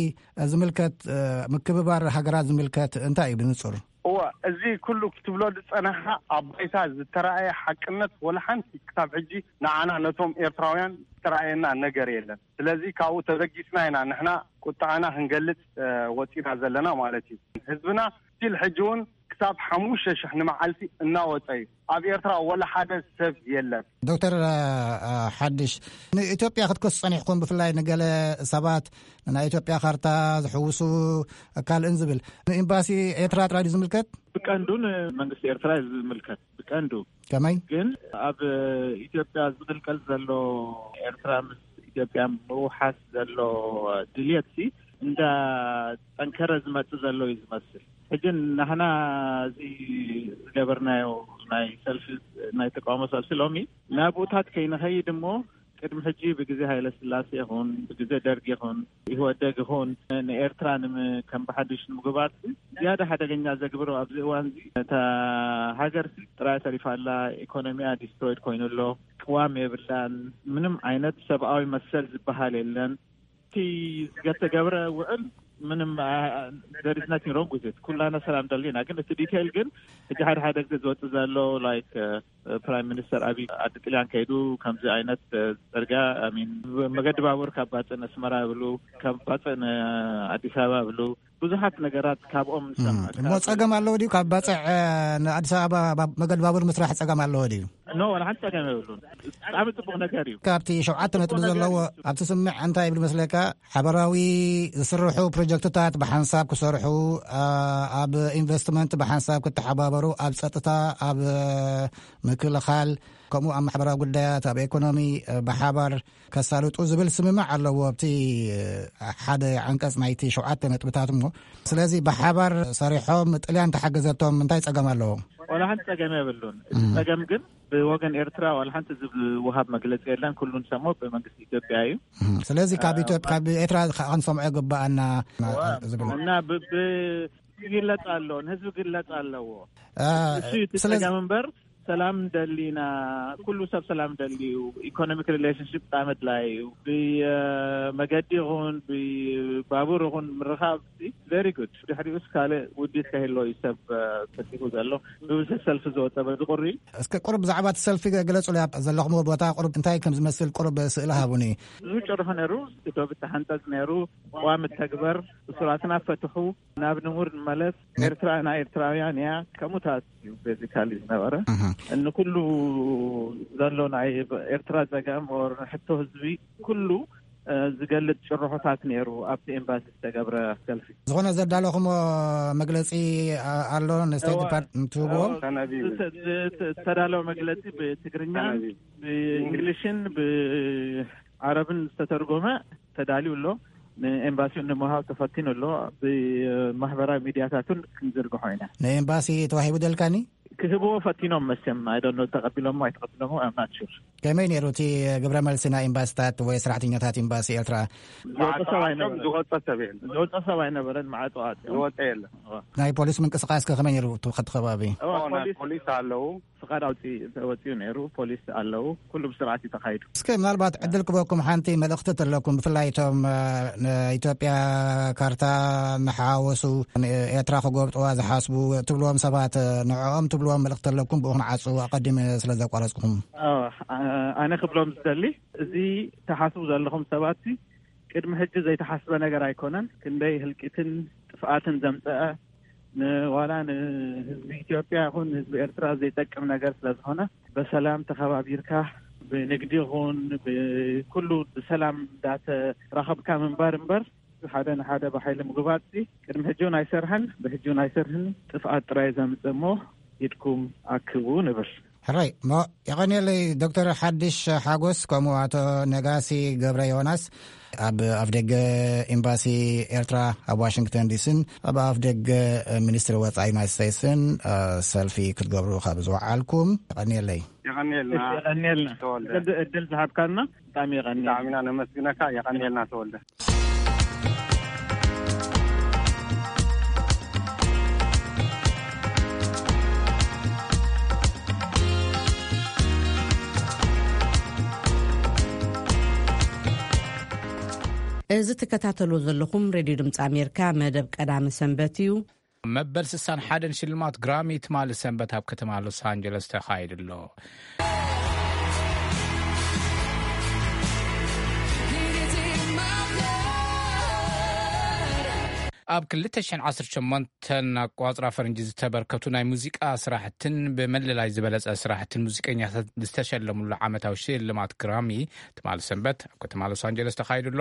ዝምልከት፣ እ፣ ምክብባር ሃገራት ዝምልከት እንታይ እዩ ብንጹር? እወ፣ እዚ ኩሉ ክትብሎ ዝጸናሕካ ኣብ ባይታ ዝተራእየ ሓቅነት ወላ ሓንቲ ክሳብ ሕጂ ንዓና ነቶም ኤርትራውያን ዝተራእየና ነገር የለን። ስለዚ ካብኡ ተበጊስና ኢና ንሕና ቁጥዓና ክንገልጽ፣ እ፣ ወጺና ዘለና ማለት እዩ። ህዝብና ስቲል ሕጂ እውን ክሳብ ሓሙሽተ ሽሕ ንመዓልቲ እናወጸ እዩ። ኣብ ኤርትራ ወላ ሓደ ሰብ የለን። ዶክተር፣ እ፣ እ፣ ሓድሽ፣ ንኢትዮጵያ ክትከሱ ጸኒሕኩም፣ ብፍላይ ንገለ ሰባት ናይ ኢትዮጵያ ካርታ ዝሕውሱ ካልእን ዝብል፣ ንኤምባሲ ኤርትራ ጥራይ ድዩ ዝምልከት? ብቀንዱ ንመንግስቲ ኤርትራ እዩ ዝምልከት፣ ብቀንዱ። ከመይ? ግን ኣብ ኢትዮጵያ ዝቕልቀል ዘሎ፣ ኤርትራ ምስ ኢትዮጵያ ምውሓስ ዘሎ ድልየትሲ እንዳጠንከረ ዝመጽእ ዘሎ እዩ ዝመስል። ሕጂ ናህና እዚ ዝገበርናዮ ናይ ሰልፊ፣ ናይ ተቃውሞ ሰልፊ ሎሚ ናብኡታት ከይንኸይድ እሞ፣ ቅድሚ ሕጂ ብግዜ ሃይለ ስላሴ ይኹን ብግዜ ደርግ ይኹን ኢህወደግ ይኹን ንኤርትራ ከም ብሓድሽ ንምግባር ዝያዳ ሓደገኛ ዘግብሮ ኣብዚ እዋን እዚ፣ እታ ሃገር ጥራይ ተሪፋ ኣላ፣ ኢኮኖሚያ ዲስትሮይድ ኮይኑ ኣሎ፣ ቅዋም የብላን፣ ምንም ዓይነት ሰብኣዊ መሰል ዝበሃል የለን። እቲ ዝተገብረ ውዕል ምንም፣ there is nothing wrong with it። ኩላና ሰላም ደሊና፣ ግን እቲ ዲቴይል ግን ሕጂ ሓደ ሓደ ግዜ ዝወጽእ ዘሎ፣ ላይክ፣ ፕራይም ሚኒስተር ኣቢይ ዓዲ ጥልያን ከይዱ ከምዚ ዓይነት፣ እ፣ ጽርግያ፣ I mean፣ መገዲ ባቡር ካብ ባጽዕ ንኣስመራ ይብሉ፣ ካብ ባጽዕ ንኣዲስ ኣበባ ይብሉ፣ ብዙሓት ነገራት ካብኦም ንሰምዕ። እሞ ጸገም ኣለዎ ድዩ? ካብ ባጽዕ፣ እ፣ ንኣዲስ ኣበባ ባ-፣ መገዲ ባቡር ምስራሕ ጸገም ኣለዎ ድዩ? ኖ፣ ዋላ ሓንቲ ጸገም የብሉን። ብጣዕሚ ጽቡቕ ነገር እዩ። ካብቲ ሸውዓተ ነጥቢ ጽቡቕ ነገር ዘለዎ እዩ። ኣብቲ ስምምዕ እንታይ ይብል መስለካ? ሓበራዊ ዝስርሑ ፕሮጀክትታት ብሓንሳብ ክሰርሑ፣ ኣ፣ ኣብ ኢንቨስትመንት ብሓንሳብ ክተሓባበሩ፣ ኣብ ጸጥታ፣ ኣብ ምክልኻል፣ ከምኡ ኣብ ማሕበራዊ ጉዳያት፣ ኣብ ኢኮኖሚ፣ እ፣ ብሓባር ከሳልጡ ዝብል ስምምዕ ኣለዎ። ኣብቲ፣ እ፣ ሓደ ዓንቀጽ ናይቲ ሸውዓተ ነጥብታት እሞ፣ ስለዚ ብሓባር ሰሪሖም ጥልያን ተሓገዘቶም እንታይ ጸገም ኣለዎ? ዋላ ሓንቲ ጸገም የብሉን። እቲ ጸገም ግን ብወገን ኤርትራ ዋላ ሓንቲ ዝወሃብ መግለጺ የለን። ኩሉ ንሰሞ ብመንግስቲ ኢትዮጵያ እዩ። እም፣ ስለዚ ካብ እ፣ ኢትዮጵያ፣ ካብ ኤርትራ ከ-፣ ክንሰምዖ ይግባኣና። እዋ፣ ዝብል። እና ብ-፣ ብ-፣ ይግለጽ ኣሎ፣ ንህዝቢ ይግለጽ ኣለዎ። እ፣ እሱ እዩ እቲ ስለዚ ጸገም እምበር፣ ሰላም ደሊና፣ ኩሉ ሰብ ሰላም ደልዩ፣ ኢኮኖሚክ ሪሌሽንሽፕ ብጣዕሚ ኣድላይ እዩ። ብመገዲ ይኹን ብባቡር ይኹን ምርኻብ very good። ድሕሪኡስ ካልእ ውዲት ከህሎ እዩ ሰብ፣ እ፣ ፈቲኹ ዘሎ። ብብዝሒ ሰልፊ ዝወጠ በዚ ቁሪ። እስከ ቁሩብ ብዛዕባ እቲ ሰልፊ ገ-፣ ግለጹ። ኣብ ዘለኹምዎ ቦታ ቁሩብ እንታይ ከም ዝመስል ቁሩብ ስእሊ ሃቡኒ። ብዙ ጭርሖ ነይሩ፣ እቲ ዶብ ተሓንጸጽ ነይሩ፣ ቅዋም ተግበር፣ እሱራትና ፈትሑ፣ ናብ ንቡር ንመለስ፣ ነ- ኤርትራ ናይ ኤርትራውያን እያ፣ ከምኡታት እዩ ቤዚካሊ ዝነበረ። እህ። እንኩሉ ዘሎ ናይ ኤርትራ ጸገም ኦር ሕቶ ህዝቢ ኩሉ፣ እ፣ ዝገልጽ ጭርሖታት ነይሩ ኣብቲ ኤምባሲ ዝተገብረ ሰልፊ። ዝኾነ ዘዳለኹሞ መግለጺ፣ አ-፣ ኣሎ ንስቴት እዋ፣ ዲፓርትመንት ትህብዎም? እዋ፣ ተነቢቡ። ዝተ-፣ ዝተ-፣ ዝተዳለወ መግለጺ ብትግርኛ፣ ተነቢቡ። ብእንግሊሽን ብዓረብን ዝተተርጎመ ተዳልዩ ኣሎ። ንኤምባሲኡ ንምሃብ ተፈቲኑ ኣሎ። ብማሕበራዊ ሚድያታቱን ክንዝርግሖ ኢና። ንኤምባሲ ተዋሂቡ ደልካኒ? ክህብዎ ፈቲኖም መቸም፣ I don't know፣ ተቐቢሎሞ ኣይተቐቢሎሞ፣ I'm not sure። ከመይ ነይሩ እቲ ግብረ መልሲ ናይ ኤምባሲታት ወይ ሰራሕተኛታት ኤምባሲ ኤርትራ? ዝወፀ ሰብ ኣይነበረን። ዝወፀ ሰብ የለን። ዝወፀ ሰብ ኣይነበረን፣ ማዕጾ ኣጽዮም። ዝወፀ የለን። እዋ። ናይ ፖሊስ ምንቅስቃስ ከ ከመይ ነይሩ እቲ፣ እቲ ከባቢ? እዋ፣ እዋ፣ ናይ ፖሊስ ፖሊስ ኣለዉ። ፍቓድ ኣውፂ-፣ ተወፂኡ ነይሩ፣ ፖሊስ ኣለዉ፣ ኩሉ ብስርዓት እዩ ተኻይዱ። እስከ ምናልባት ዕድል ክበኩም ሓንቲ መልእኽቲ ተለኩም፣ ብፍላይ እቶም፣ እ፣ ንኢትዮጵያ ካርታ ንሓወሱ፣ ንኤርትራ ክጎብጥዋ ዝሓስቡ ትብልዎም ሰባት፣ እ፣ ንዕኦም ትብልዎም መልእኽቲ ተለኩም ብኡ ክንዓጹ ኣቐዲመ ስለ ዘቋረጽኩም። ኦ፣ ኣ-፣ ኣነ ክብሎም ዝደሊ፣ እዚ ተሓስቡ ዘለኹም ሰባት ቅድሚ ሕጂ ዘይተሓስበ ነገር ኣይኮነን። ክንደይ ህልቂትን ጥፍኣትን ዘምፀአ፣ ንዋላ ንህዝቢ ኢትዮጵያ ይኹን ንህዝቢ ኤርትራ ዘይጠቅም ነገር ስለ ዝኾነ፣ በሰላም ተኸባቢርካ ብንግዲ ይኹን ብኩሉ ብሰላም እንዳተራኸብካ ምንባር እምበር፣ ሓደ ንሓደ ብሓይሊ ምግባጽ ቅድሚ ሕጂ እውን ኣይሰርሐን፣ ብሕጂ እውን ኣይሰርሕን፣ ጥፍኣት ጥራይ ዘምጽእ እሞ ኢድኩም ኣክቡ ንብል። ሕራይ እሞ፣ የቐንየለይ ዶክተር ሓድሽ ሓጎስ፣ ከምኡ ኣቶ ነጋሲ ገብረ ዮናስ፣ ኣብ ኣፍደገ ኤምባሲ ኤርትራ ኣብ ዋሽንግተን ዲሲን ኣብ ኣፍደገ ሚኒስትሪ ወጻኢ ዩናይትድ ስቴትስን፣ እ፣ ሰልፊ ክትገብሩ ካብ ዝወዓልኩም፣ የቐንየለይ። የቐንየልና። እሺ፣ የቐንየልና። ተወልደ። ዕድ-፣ ዕድል ዝሃብካና ብጣዕሚ የቐንየልና። ብጣዕሚ ኢና ነመስግነካ። የቐንየልና ተወልደ። እዚ ትከታተልዎ ዘለኹም ሬድዮ ድምፂ ኣሜሪካ መደብ ቀዳመ ሰንበት እዩ። መበል ስሳን ሓደን ሽልማት ግራሚ ትማሊ ሰንበት ኣብ ከተማ ሎስ ኣንጀለስ ተኻይዱ ኣሎ። ኣብ ክልተ ሽሕን ዓሰርተ ሸሞንተን ኣቋጽራ ፈረንጂ ዝተበርከቱ ናይ ሙዚቃ ስራሕትን ብመለላይ ዝበለጸ ስራሕትን ሙዚቀኛታት ዝተሸለሙሉ ዓመታዊ ሽልማት ግራሚ ትማሊ ሰንበት ኣብ ከተማ ሎስ ኣንጀለስ ተኻይዱ ኣሎ።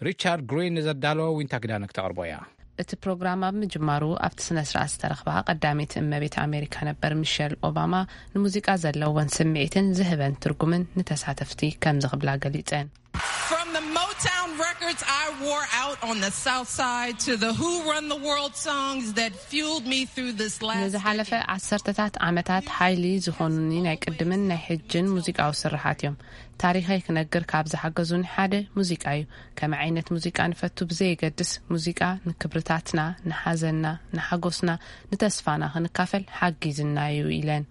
ሪቻርድ ግሪን ንዘዳለወ ዊንታ ኪዳነ ክተቕርቦ እያ። እቲ ፕሮግራም ኣብ ምጅማሩ ኣብቲ ስነ ስርዓት ዝተረኽባ ቀዳመይቲ እመቤት ኣሜሪካ ነበር ሚሸል ኦባማ ንሙዚቃ ዘለወን ስምዒትን ዝህበን ትርጉምን ንተሳተፍቲ ከምዚ ክብላ ገሊጸን። From the Motown records I wore out on the South Side to the Who Run the World songs that fueled me through this last ንዝሓለፈ decade. ዓሰርተታት ዓመታት ሓይሊ ዝኾኑኒ ናይ ቅድምን ናይ ሕጅን ሙዚቃዊ ስርሓት እዮም። ታሪኸይ ክነግር ካብ ዝሓገዙኒ ሓደ ሙዚቃ እዩ። ከመይ ዓይነት ሙዚቃ ንፈቱ ብዘየገድስ፣ ሙዚቃ ንክብርታትና፣ ንሓዘንና፣ ንሓጎስና፣ ንተስፋና ክንካፈል ሓጊዝና እዩ ኢለን።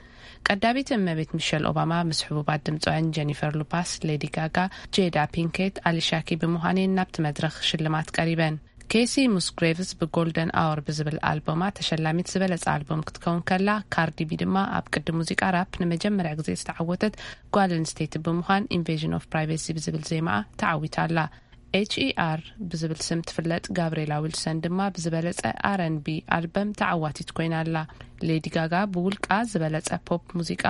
ቀዳሚት እመቤት ሚሸል ኦባማ ምስ ሕቡባት ድምፃውያን ጀኒፈር ሉፓስ፣ ሌዲ ጋጋ፣ ጄዳ ፒንኬት፣ ኣሊሻ ኪ ብምዃን እየን ናብቲ መድረኽ ሽልማት ቀሪበን። ኬሲ ሙስግሬቭስ ብጎልደን ኣወር ብዝብል ኣልቦማ ተሸላሚት ዝበለጸ ኣልቦም ክትከውን ከላ፣ ካርዲ ቢ ድማ ኣብ ቅዲ ሙዚቃ ራፕ ንመጀመርያ ግዜ ዝተዓወተት ጓል ኣንስተይቲ ብምዃን ኢንቬዥን ኦፍ ፕራይቬሲ ብዝብል ዜማኣ ተዓዊታ ኣላ። ኤች ኢ ኣር ብዝብል ስም ትፍለጥ ጋብሬላ ዊልሰን ድማ ብዝበለጸ ኣር ኤን ቢ ኣልበም ተዓዋቲት ኮይና ኣላ። ሌዲ ጋጋ ብውልቃ ዝበለጸ ፖፕ ሙዚቃ፣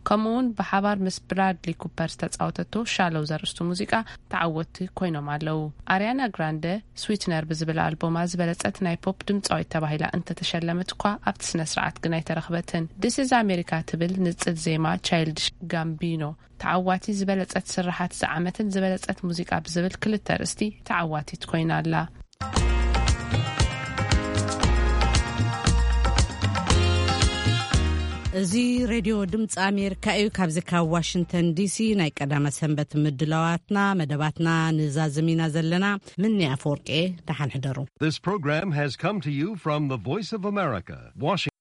ከምኡውን ብሓባር ምስ ብራድሊ ኩፐር ዝተጻወተቶ ሻሎው ዘርእስቱ ሙዚቃ ተዓወትቲ ኮይኖም ኣለዉ። ኣርያና ግራንደ ስዊትነር ብዝብል ኣልቦማ ዝበለጸት ናይ ፖፕ ድምጻዊት ተባሂላ እንተተሸለመት እኳ ኣብቲ ስነ ስርዓት ግን ኣይተረኽበትን። ዲስ ኢዝ ኣሜሪካ ትብል ንጽል ዜማ ቻይልድሽ ጋምቢኖ ተዓዋቲ ዝበለጸት ስርሓት ዝዓመትን ዝበለጸት ሙዚቃ ብዝብል ክልተ ኣርእስቲ ተዓዋቲት ኮይና ኣላ። እዚ ሬድዮ ድምፂ ኣሜሪካ እዩ። ካብዚ ካብ ዋሽንግተን ዲሲ ናይ ቀዳመ ሰንበት ምድላዋትና መደባትና ንዛዝም ኢና ዘለና። ምኒ ኣፈወርቂ፣ ደሓን ሕደሩ። This program has come to you from the Voice of America, Washington.